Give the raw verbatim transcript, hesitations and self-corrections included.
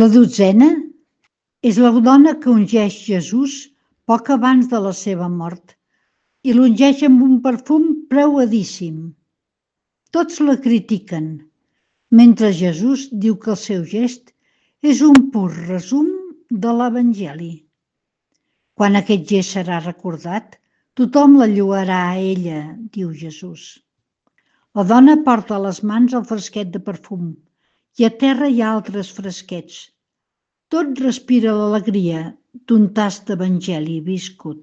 La dotzena és la dona que ungeix Jesús poc abans de la seva mort i l'ungeix amb un perfum preuadíssim. Tots la critiquen, mentre Jesús diu que el seu gest és un pur resum de l'Evangeli. Quan aquest gest serà recordat, tothom la lloarà a ella, diu Jesús. La dona porta a les mans el fresquet de perfum i a terra hi ha altres fresquets. Tot respira l'alegria d'un tast d'Evangeli viscut.